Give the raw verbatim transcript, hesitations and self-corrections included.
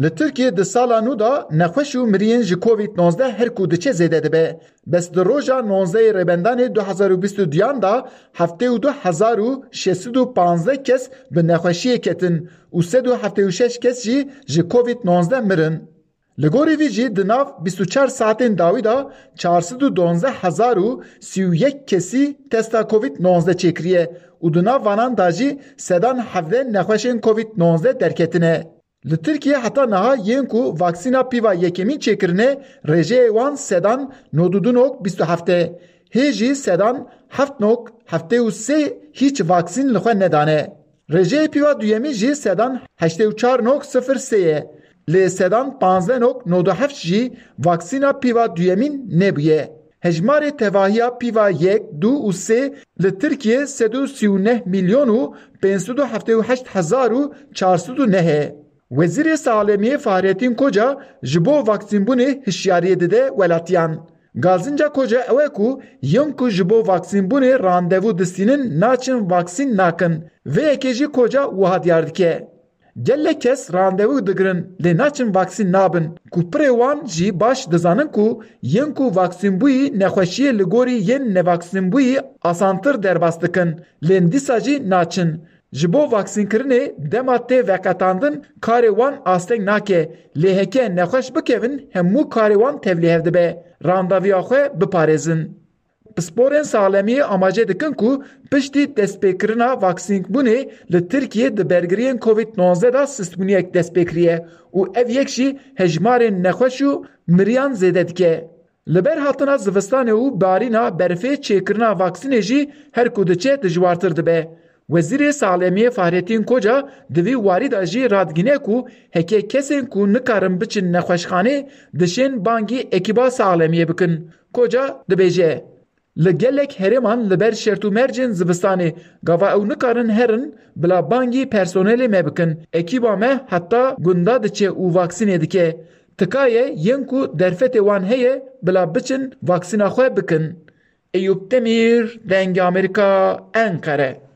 Li Tirkiyê di sala nû de nexweş û miriyên ji Covid nonzdeh her ku diçe zêde dibe. Bes di roja nonzdehê Rêbendanê du hezar û bîst û duyan de heftê û du hezar û şeş sed û panzdeh kes bi nexweşiyê ketin û sed û heftê û şeş kes jî ji Covid nonzdeh mirin. Li gorî vî jî di nav bîst û çar saetên dawî de çar sed û duwazdeh hezar û sî û yek kesî testa Covid nonzdeh çêkiriye û di nav vanan de jî sedan hevdeh nexweşên Covid nonzdeh derketine. Li Tirkiye heta niha yên ku vaksîna pîva yekemîn çêkirine, rêjeyê wan sedan nod û du nok bîst û heft e. Hê jî sedan heft nok heftê û sê hîç vaksîn li xwe nedane. Rêjeyê pîva duyemîn jî sedan heştê û çar nok sifir sê ye. Lê sedan panzdeh nok nod û heft jî vaksîna pîva duyemîn nebûye. Hejmarê tevahiya pîva yek, du û sê li Tirkiye sed û sî û neh milyon û pênc sed û heftê û heşt hezar û çar sed û neh e. Wezîrê Saxlemiyê Fahrettin Koca ji bo vaksînbûnê hişyariyê dide welatiyan. Gazinca Koca ew e ku yên ku ji bo vaksînbûnê randevu distînin naçin vaksîn nakin. Vê yekê jî Koca wiha diyar dike. Gelek kes randevu digirin lê naçin vaksîn nabin ku pirê wan jî baş dizanin ku yên ku vaksînbûyî nexweşiyê li gorî yên nevaksînbûyî asantir derbas dikin lê dîsa jî naçin. Ji bo vaksînkirinê dema tê veqetandin karê wan asteng nake lê heke nexweş bikevin hemû karê wan tevlîhev dibe randevuya xwe biparêzin. Pisporên saxlemiyê amaje dikin ku piştî destpêkirina vaksînbûnê li Tirkiyê di bergiriyên Covid nonzdeh de sistbûniyek dest pê kiriye û ev yek jî hejmarên nexweş û miriyan zêde dike. Li ber hatina zivistanê û barîna berfê çêkirina vaksînê jî her ku diçe dijwartir dibe. Wezîrê Saxlemiyê Fahrettin Koca di vî warî de jî radigihîne ku heke kesên ku nikarin biçin nexweşxanê dişên bangî ekîba saxlemiyê bikin. Koca dibêje, li gelek herêman li ber şert û mercên zivistanê gava ew nikarin herin bila bangî personelê me bikin. Ekîba me heta gunda diçe û vaksînê dike. Tika ye yên ku derfetê wan heye bila biçin vaksîna xwe bikin. Eyûp Demîr, Dengê Amerîka, Enqere.